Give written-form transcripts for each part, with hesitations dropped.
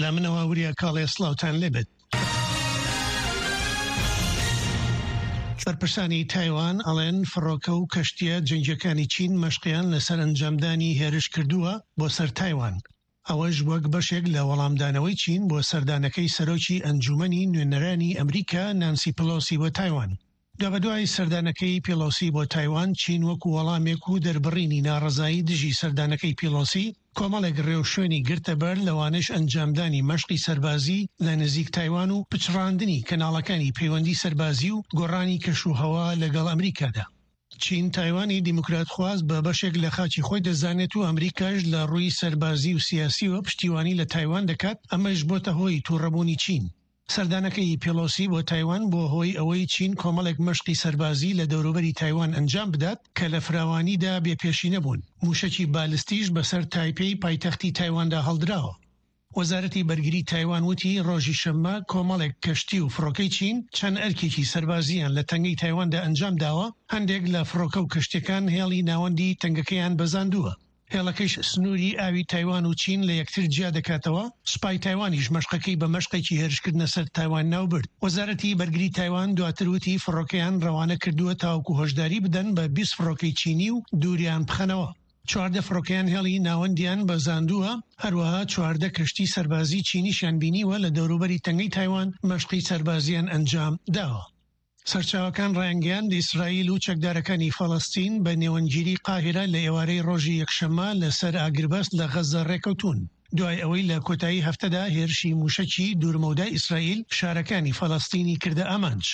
لە منەوە وریا کاڵێ سڵاوتان لێبێت. بەرپرسانی تایوان ئەڵێن فڕۆکە و کەشتییە جەنگییەکانی چین مەشقیان لەسەر ئەنجامدانی هێرش کردووە بۆ سەر تایوان، ئەوەش وەک بەشێک لە وەڵامدانەوەی چین بۆ سەردانەکەی سەرۆکی ئەنجومەنی نوێنەرانی ئەمریکا نانسی پڵۆسی بۆ تایوان. دوابەدوای سەردانەکەی پیڵۆسی بۆ تایوان، چین وەکو وەڵامێک و دەربڕینی ناڕەزایی دژی سەردانەکەی پیڵۆسی، کۆمەڵێک ڕێوشوێنی گرتەبەر، لەوانەش ئەنجامدانی مەشقی سەربازی لە نزیک تایوان و پچڕاندنی کەناڵەکانی پەیوەندی سەربازی و گۆڕانی کەشوهەوا لەگەڵ ئەمریکادا. چین تایوانی دیموکراتخواز بە بەشێک لە خاکی خۆی دەزانێت و ئەمریکاش لە ڕووی سەربازی و سیاسییەوە پشتیوانی لە تایوان دەکات، ئەمەش بۆتە هۆی توڕەبوونی چین. سەردانەکەی پێڵۆسی بۆ تایوان بووە هۆی ئەوەی چین کۆمەڵێک مەشقی سەربازی لە دەوروبەری تایوان ئەنجام بدات کە لە فراوانیدا بێ پێشینە بوون، مووشەکی بالستیش بەسەر تایپێی پایتەختی تایواندا هەڵدراوە. وەزارەتی بەرگری تایوان وتی ڕۆژی شەممە کۆمەڵێک کەشتی و فڕۆکەی چین چەند ئەرکێکی سەربازییان لە تەنگەی تایواندا ئەنجام داوە، هەندێک لە فڕۆکە و کەشتیەکان هێڵی ناوەندی تەنگەکەیان بەزاندووە. هێڵەکەیش سنووری ئاوی تایوان و چین لە یەکتر جیا دەکاتەوە، سوپای تایوانیش مەشقەکەی بە مەشقێکی هێرشکردنە سەر تایوان ناوبرد. وەزارەتی بەرگری تایوان دواتر وتی فڕۆکەیان ڕەوانە کردووە تاوەکو هۆشداری بدەن بە 20 فڕۆکەی چینی و دووریان بخەنەوە. 14 فڕۆکەیان هێڵی ناوەندیان بەزاندووە، هەروەها 14 کەشتی سەربازی چینیشیان بینیوە لە دەوروبەری تەنگەی تایوان مەشقی سەربازیان ئەنجام داوە. سەرچاوەکان ڕایانگەیاند، ئیسرائیل و چەکدارەکانی فەڵەستین بە نێوەندگیری قاهیرە لە ئێوارەی ڕۆژی یەکشەممە لەسەر ئاگربەست لە غەززە ڕێکەوتوون، دوای ئەوەی لە کۆتایی هەفتەدا هێرشی مووشەکی دوورمەودای ئیسرائیل شارەکانی فەڵەستینی کردە ئامانج.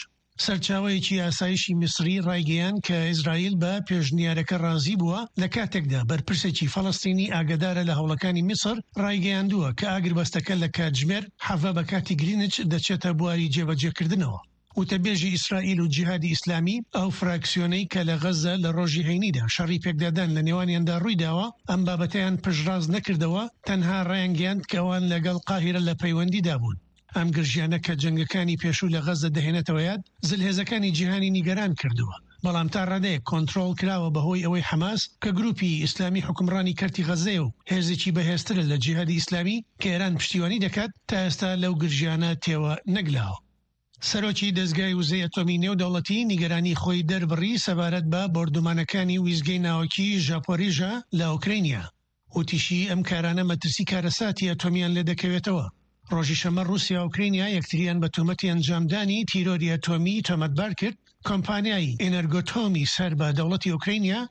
سەرچاوەیەکی ئاسایشی میسری ڕایگەیاند کە ئیسرائیل بە پێشنیارەکە ڕازی بووە، لە کاتێکدا بەرپرسێکی فەڵەستینی ئاگادارە لە هەوڵەکانی میسر ڕایگەیاندووە کە ئاگربەستەکە لە کاتژمێر حەڤە بە کاتی گرینچ دەچێتە بواری جێبەجێکردنەوە. وتەبێژی ئیسرائیل و جیهادی ئیسلامی، ئەو فراکسیۆنەی کە لە غەززە لە ڕۆژی هەینیدا شەڕی پێکدادان لە نێوانیاندا ڕوویداوە، ئەم بابەتەیان پشتڕاست نەکردەوە، تەنها ڕایانگەیاند کە ئەوان لەگەڵ قاهیرە لە پەیوەندیدا بوون. ئەم گرژیانە کە جەنگەکانی پێشوو لە غەززە دەهێنێتەوە یاد، زلهێزەکانی جیهانی نیگەران کردووە، بەڵام تا ڕادەیەک کۆنترۆڵ کراوە بەهۆی ئەوەی حەماس کە گروپی ئیسلامی حوکمڕانی کەرتی غەززەیە و هێزێکی بەهێزترە لە جیهادی ئیسلامی کە ئێران پشتیوانی دەکات، تا ئێستا لەو گرژیانە تێوە نەگلاوە. سەرۆکی دەزگای وزەی ئەتۆمی نێودەوڵەتی نیگەرانی خۆی دەربڕی سەبارەت بە بۆردومانەکانی ویستگەی ناوەکی ژاپۆریژا لە ئۆکرەینیا. وتیشی، ئەم کارانە مەترسی کارەساتی ئەتۆمیان لێدەکەوێتەوە. ڕۆژی شەممە ڕووسیا و ئۆکرەینیا یەکتریان بە تۆمەتی ئەنجامدانی تیرۆری ئەتۆمی تۆمەتبار کرد، کۆمپانیای ئینەرگۆتۆمی سەر بە دەوڵەتی ئۆکرەینیا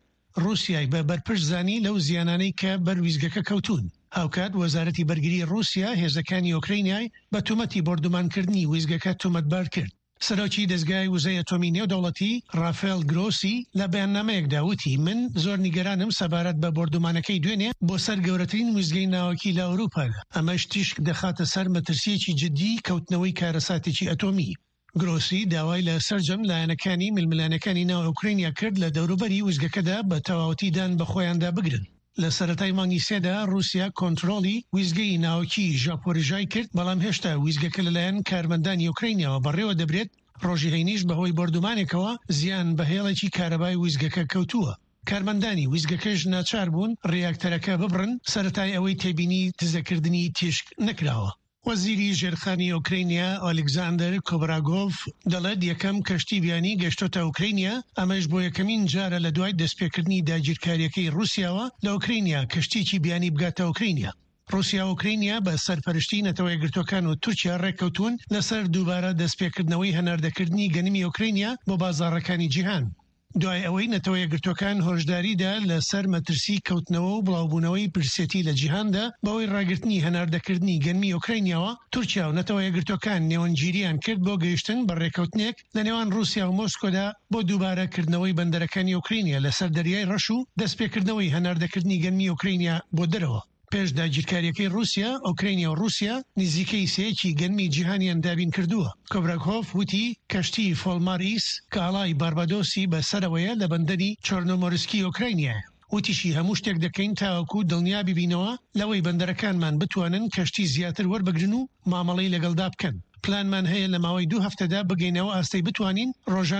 ڕووسیای بە بەرپرس زانی لەو زیانانەی کە بەر ویستگەکە کەوتوون. هاوکات وەزارەتی بەرگری ڕووسیا هێزەکانی ئۆکرەینیای بە تۆمەتی بۆردومانکردنی ویستگەکە تۆمەتبار کرد. سەرۆکی دەزگای وزەی ئەتۆمی نێودەوڵەتی، ڕافێل گرۆسی لە بەیاننامەیەکدا وتی، من زۆر نیگەرانم سەبارەت بە بۆردومانەکەی دوێنێ بۆ سەر گەورەترین ویستگەی ناوەکی لە ئەوروپادا، ئەمەش تیشک دەخاتە سەر مەترسییەکی جددیی کەوتنەوەی کارەساتێکی ئەتۆمی. گرۆسی داوای لە سەرجەم لایەنەکانی ململانێکانی ناو ئۆکرەینیا کرد لە دەوروبەری ویستگەکەدا بە تەواوەتی دان بە خۆیاندا بگرن. لە سەرەتای مانگی سێدا ڕووسیا کۆنترۆڵی ویستگەی ناوەکی ژاپۆریژای کرد، بەڵام هێشتا ویستگەکە لەلایەن کارمەندانی ئۆکرەینیاوە بەڕێوە دەبرێت، ڕۆژی هەینیش بەهۆی بۆردومانێکەوە زیان بە هێڵێکی کارەبای ویستگەکە کەوتووە. کارمەندانی ویستگەکەش ناچار بوون ڕیاکتەرەکە ببڕن، سەرەتای ئەوەی تێبینی دزەکردنی تیشک نەکراوە. وەزیری ژێرخانی ئۆکرەینیا ئۆلیگزاندەر کۆبراگۆڤ دەڵێت یەکەم کەشتی بیانی گەشتۆتە ئۆکرەینیا، ئەمەش بۆ یەکەمین جارە لە دوای دەستپێکردنی داگیرکارییەکەی ڕووسیاوە لە ئۆکرەینیا کەشتییەکی بیانی بگاتە ئۆکرەینیا. ڕووسیا و ئۆکرەینیا بە سەرپەرشتی نەتەوە یەکگرتووەکان و تورکیا ڕێککەوتوون لەسەر دووبارە دەستپێکردنەوەی هەناردەکردنی گەنمی ئۆکرەینیا بۆ بازاڕەکانی جیهان. دوای ئەوەی نەتەوە یەکگرتووەکان هۆشداری دا لە سەر مەترسی کەوتنەوە و بڵاوبوونەوەی برسێتی لە جیهاندا بەهۆی ڕاگرتنی هەناردەکردنی گەنمی ئۆکراینیاوە، تورکیا و نەتەوە یەکگرتووەکان نێوەندگیرییان کرد بۆ گەیشتن بە ڕێککەوتنێک لە نێوان ڕووسیا و مۆسکۆدا بۆ دووبارە کردنەوەی بەندەرەکانی ئۆکراینیا لەسەر دەریای ڕەش و دەستپێکردنەوەی هەناردەکردنی گەنمی ئۆکراینیا بۆ دەرەوە. پێش داگیرکارییەکەی ڕووسیا، ئۆکرەینیا و ڕووسیا نزیکەی سێیەکی گەنمی جیهانیان دابین کردووە. کۆبراکۆڤ وتی کەشتی فۆڵمار ئیس کە ئاڵای باربادۆسی بە سەرەوەیە لە بەندەری چۆرنۆمۆرسکی ئۆکراینیایە. وتیشی هەموو شتێک دەکەین تاوەکو دڵنیا ببینەوە لەوەی بەندەرەکانمان بتوانن کەشتی زیاتر وەربگرن و مامەڵەی لەگەڵدا بکەن. پلانمان هەیە لە ماوەی دوو هەفتەدا بگەینە ئەو ئاستەی بتوانین ڕۆژانە.